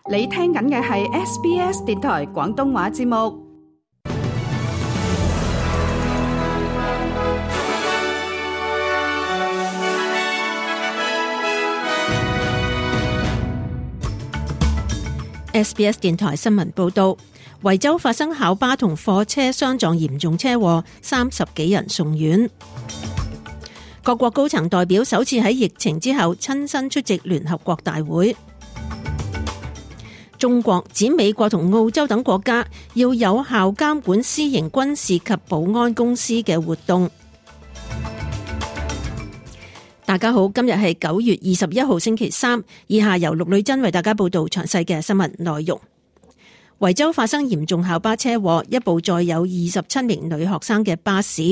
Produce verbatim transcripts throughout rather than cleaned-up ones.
你聽緊嘅係 S B S 電台廣東話節目。S B S 電台新聞報道，維州發生校巴同貨車相撞嚴重車禍，三十幾人送院。各國高層代表首次喺疫情之後親身出席聯合國大會。中國指美國同澳洲等國家要有效監管私營軍事及保安公司嘅活動。大家好，今日係九月二十一號星期三，以下由陸女珍為大家報道詳細嘅新聞內容。維州發生嚴重校巴車禍，一部載有二十七名女學生嘅巴士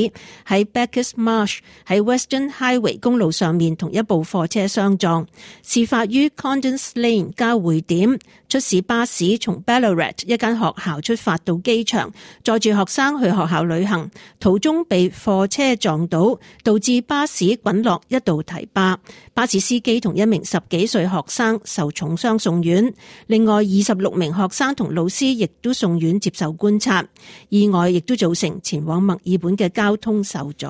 喺 Bacchus Marsh 喺 Western Highway 公路上面同一部貨車相撞，事發於 Condens Lane 交匯點。出事巴士從 Ballarat 一間學校出發到機場，載住學生去學校旅行，途中被貨車撞倒，導致巴士滾落一道堤壩。巴士司機同一名十幾歲學生受重傷送院，另外二十六名學生同老師亦都送院接受觀察。意外亦都造成前往墨爾本嘅交通受阻。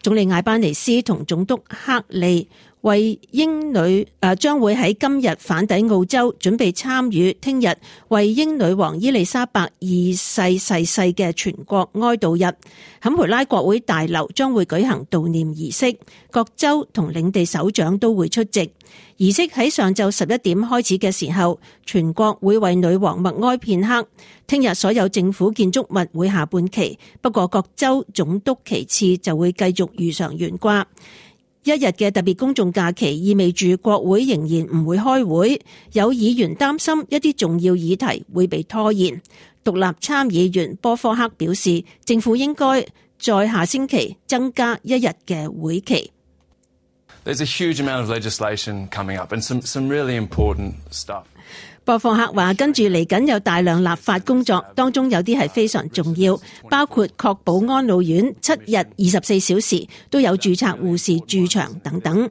總理艾班尼斯同總督克利為英女誒將會喺今日返抵澳洲，準備參與聽日為英女王伊麗莎白二世逝世嘅全國哀悼日。坎培拉國會大樓將會舉行悼念儀式，各州同領地首長都會出席。儀式喺上晝十一點開始嘅時候，全國會為女王默哀片刻。聽日所有政府建築物會下半旗，不過各州總督旗幟就會繼續如常懸掛。一日嘅特別公眾假期意味住國會仍然唔會開會，有議員擔心一啲重要議題會被拖延。獨立參議員波科克表示，政府應該在下星期增加一日嘅會期。There's a huge amount of legislation coming up and some, some really important stuff. 博霍克話跟住嚟緊有大量立法工作，當中有啲係非常重要，包括確保安老院七日二十四小時都有註冊護士駐場等等。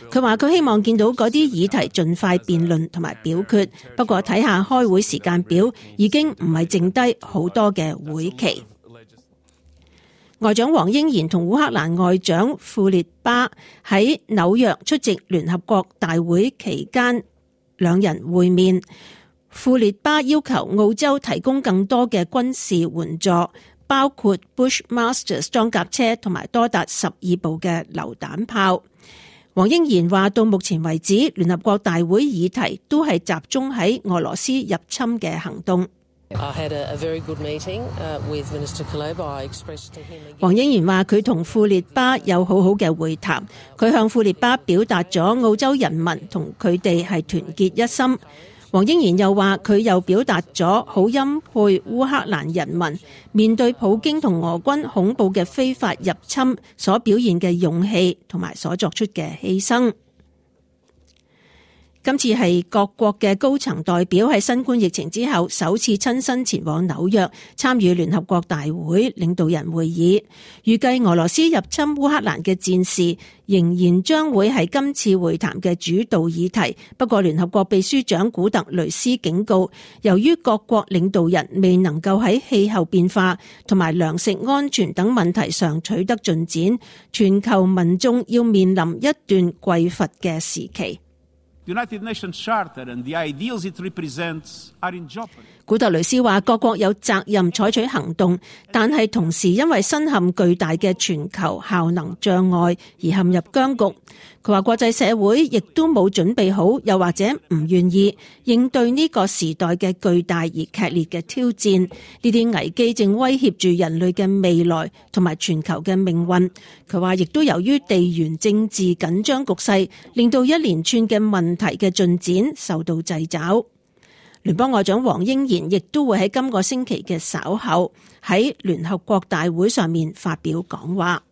佢話佢希望見到嗰啲議題盡快辯論同埋表決，不過睇下開會時間表已經唔係剩低好多嘅會期。外長黃英賢同烏克蘭外長庫列巴喺紐約出席聯合國大會期間，兩人會面。庫列巴要求澳洲提供更多嘅軍事援助，包括 Bushmasters 裝甲車同埋多達十二部嘅榴彈炮。黃英賢話到目前為止，聯合國大會議題都係集中喺俄羅斯入侵嘅行動。黃英賢話佢同庫列巴有好好嘅會談，佢向庫列巴表達咗澳洲人民同佢哋係團結一心。黃英賢又話佢又表達咗好欽佩烏克蘭人民面對普京同俄軍恐怖嘅非法入侵所表現嘅勇氣同埋所作出嘅犧牲。今次係各國嘅高層代表喺新冠疫情之後首次親身前往紐約參與聯合國大會領導人會議。預計俄羅斯入侵烏克蘭嘅戰事仍然將會係今次會談嘅主導議題。不過聯合國秘書長古特雷斯警告，由於各國領導人未能夠喺氣候變化同埋糧食安全等問題上取得進展，全球民眾要面臨一段匱乏嘅時期。United Nations Charter and the ideals it represents are in jeopardy. 古特雷斯話各國有責任採取行動，但係同時因為身陷巨大嘅全球效能障礙而陷入僵局。佢話國際社會亦都冇準備好，又或者唔願意應對呢個時代嘅巨大而劇烈嘅挑戰。呢啲危機正威脅住人類嘅未來同埋全球嘅命運。佢話亦都由於地緣政治緊張局勢，令到一連串嘅問題嘅進展受到掣肘。聯邦外長黃英賢亦都會喺今個星期嘅稍後喺聯合國大會上面發表講話。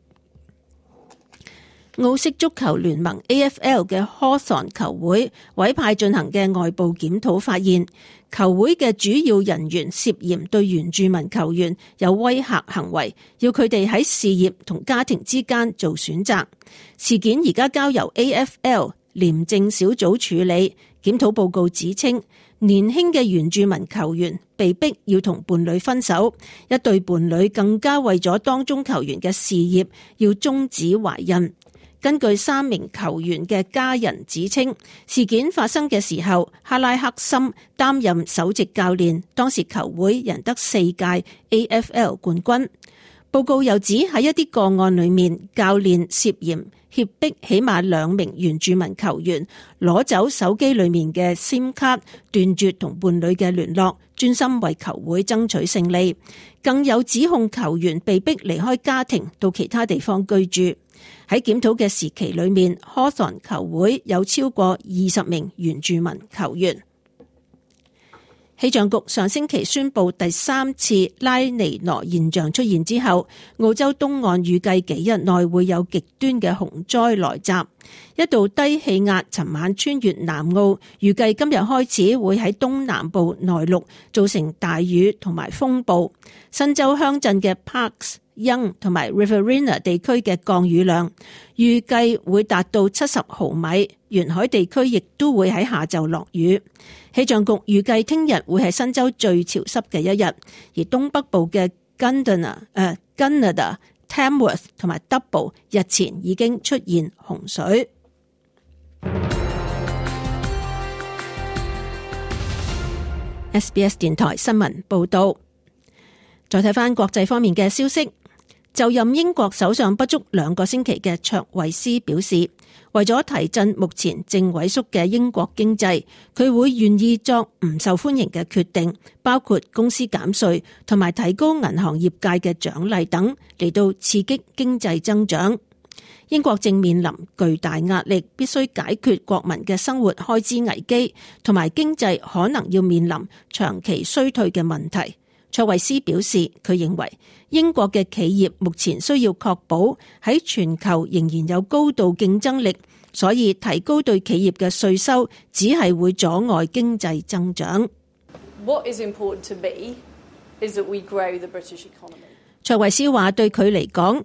澳式足球聯盟 A F L 嘅 Hawthorn 球會委派進行嘅外部檢討發現，球會嘅主要人員涉嫌對原住民球員有威嚇行為，要佢哋喺事業同家庭之間做選擇。事件而家交由 A F L 廉政小組處理，檢討報告指稱，年輕嘅原住民球員被逼要同伴侶分手，一對伴侶更加為咗當中球員嘅事業要終止懷孕。根據三名球員嘅家人指稱，事件發生嘅時候，哈拉克森擔任首席教練，當時球會贏得四屆 A F L 冠軍。報告又指喺一啲個案裏面，教練涉嫌脅迫起碼兩名原住民球員攞走手機裏面嘅 SIM 卡，斷絕同伴侶嘅聯絡，專心為球會爭取勝利。更有指控球員被逼離開家庭到其他地方居住。喺檢討嘅時期裏面， Hawthorn 球會有超過二十名原住民球員。氣象局上星期宣布第三次拉尼娜現象出現之後，澳洲東岸預計幾日內會有極端嘅洪災來襲。一道低氣壓尋晚穿越南澳，預計今日開始會喺東南部內陸造成大雨同埋風暴。新州鄉鎮嘅 Parks、Young 同埋 Riverina 地區嘅降雨量預計會達到七十毫米，沿海地區亦都會喺下晝落雨。氣象局預計聽日會係新州最潮濕嘅一日，而東北部嘅 Gunnedah、呃、Gunnedah、Tamworth 同埋 Double 日前已經出現洪水。S B S 電台新聞報道。再睇返國際方面嘅消息，就任英國首相不足兩個星期嘅卓慧思表示，為咗提振目前正萎縮嘅英國經濟，佢會願意作唔受歡迎嘅決定，包括公司減稅同埋提高銀行業界嘅獎勵等，嚟到刺激經濟增長。英國正面臨巨大壓力，必須解決國民嘅生活開支危機，同埋經濟可能要面臨長期衰退嘅問題。卓慧思表示，佢認為英國嘅企業目前需要確保喺全球仍然有高度競爭力，所以提高對企業嘅稅收只係會阻礙經濟增長。What is important to me is that we grow the British economy. 卓慧思話，對佢嚟講，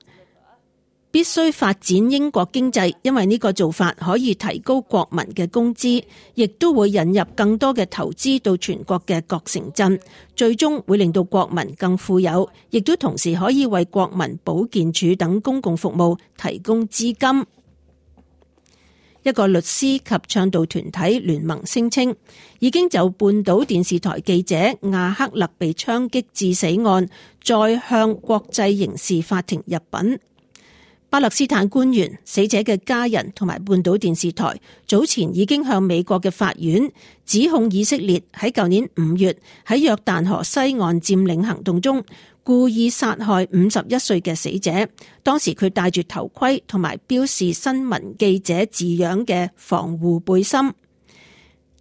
必須發展英國經濟，因為呢個做法可以提高國民嘅工資，亦都會引入更多嘅投資到全國嘅各城鎮，最終會令到國民更富有，亦都同時可以為國民保健署等公共服務提供資金。一個律師及倡導團體聯盟聲稱，已經就半島電視台記者亞克勒被槍擊致死案，再向國際刑事法庭入稟。巴勒斯坦官員、死者嘅家人同埋半島電視台早前已經向美國嘅法院指控以色列喺舊年五月喺約旦河西岸佔領行動中故意殺害五十一歲嘅死者，當時佢戴住頭盔同埋標示新聞記者字樣嘅防護背心。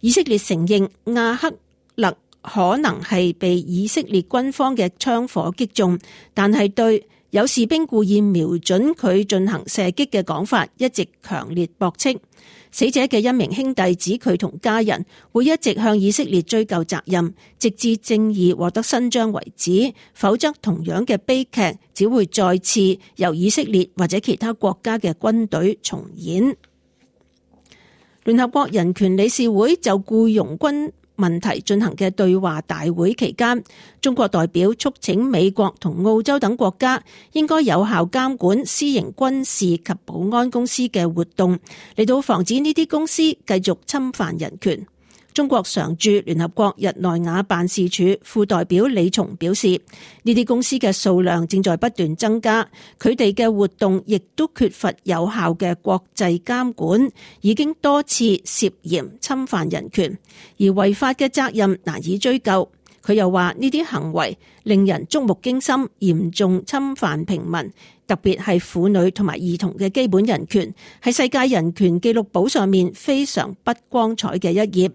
以色列承認亞克勒可能係被以色列軍方嘅槍火擊中，但係對有士兵故意瞄準佢進行射擊嘅講法一直強烈駁斥。死者嘅一名兄弟指佢同家人會一直向以色列追究責任，直至正義獲得伸張為止，否則同樣嘅悲劇只會再次由以色列或者其他國家嘅軍隊重演。聯合國人權理事會就僱傭軍問題進行嘅對話大會期間，中國代表促請美國同澳洲等國家應該有效監管私營軍事及保安公司嘅活動，嚟到防止呢啲公司繼續侵犯人權。中國常駐聯合國日內瓦辦事處副代表李松表示，呢啲公司嘅數量正在不斷增加，佢哋嘅活動亦都缺乏有效嘅國際監管，已經多次涉嫌侵犯人權，而違法嘅責任難以追究。佢又話呢啲行為令人觸目驚心，嚴重侵犯平民，特別係婦女同埋兒童嘅基本人權，係世界人權紀錄簿上面非常不光彩嘅一頁。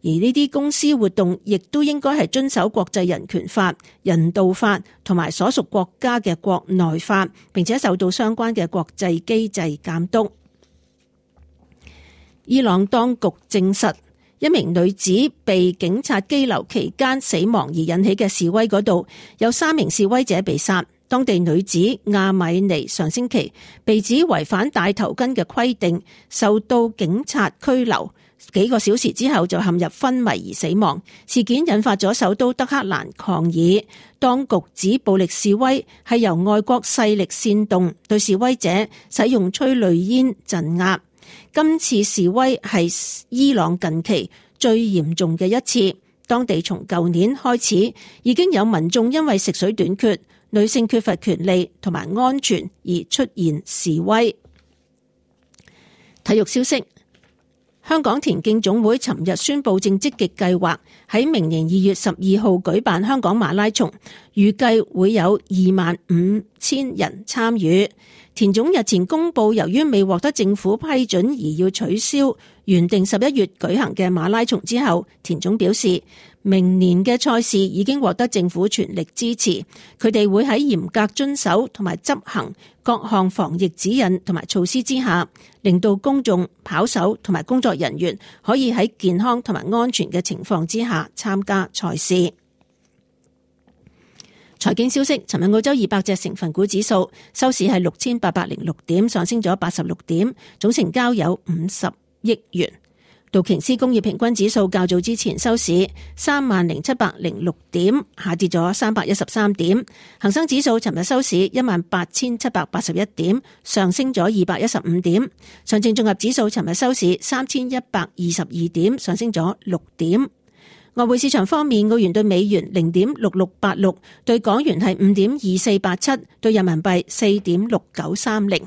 而呢啲公司活動亦都應該係遵守國際人權法、人道法同埋所屬國家嘅國內法，並且受到相關嘅國際機制監督。伊朗當局證實，一名女子被警察羈留期間死亡而引起嘅示威嗰度，有三名示威者被殺。當地女子亞米尼上星期被指違反戴頭巾嘅規定，受到警察拘留。幾個小時之後就陷入昏迷而死亡。事件引發咗首都德黑蘭抗議，當局指暴力示威係由外國勢力煽動，對示威者使用催淚煙鎮壓。今次示威係伊朗近期最嚴重嘅一次，當地從舊年開始已經有民眾因為食水短缺、女性缺乏權利同埋安全而出現示威。體育消息，香港田徑總會尋日宣布正積極計劃喺明年二月十二號舉辦香港馬拉松，預計會有二萬五千人參與。田總日前公布，由於未獲得政府批准而要取消原定十一月舉行嘅馬拉松之後，田總表示明年嘅賽事已經獲得政府全力支持，佢哋會喺嚴格遵守同埋執行各項防疫指引同埋措施之下，令到公眾、跑手同埋工作人員可以喺健康同埋安全嘅情況之下參加賽事。財經消息，尋日澳洲二百隻成分股指數收市係六千八百零六點，上升咗八十六點，總成交有五十億元。道瓊斯工業平均指數較早之前收市三萬零七百零六點，下跌咗三百一十三點。恒生指數尋日收市一萬八千七百八十一點，上升咗二百一十五點。上證綜合指數尋日收市三千一百二十二點，上升咗六點。外匯市場方面，澳元對美元零點六六八六，對港元係五點二四八七，對人民幣四點六九三零。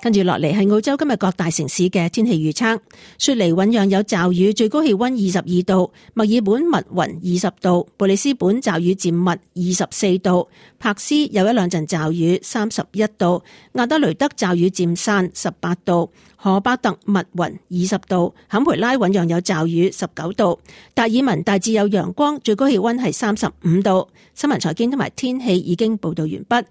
跟住落嚟係澳洲今日各大城市嘅天氣預測。雪梨醞釀有驟雨，最高氣溫二十二度；墨爾本密雲二十度；布里斯本驟雨漸密二十四度；柏斯有一兩陣驟雨三十一度；亞德雷德驟雨漸散十八度；荷巴特密雲二十度；坎培拉醞釀有驟雨十九度；達爾文大致有陽光，最高氣溫係三十五度。新聞財經同埋天氣已經報道完畢。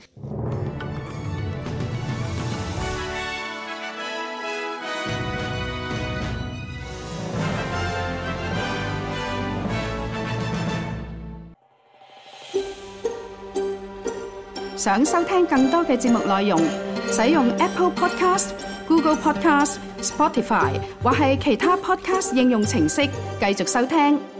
想收聽更多嘅節目內容，使用 Apple Podcast、Google Podcast、Spotify 或係其他 Podcast 應用程式繼續收聽。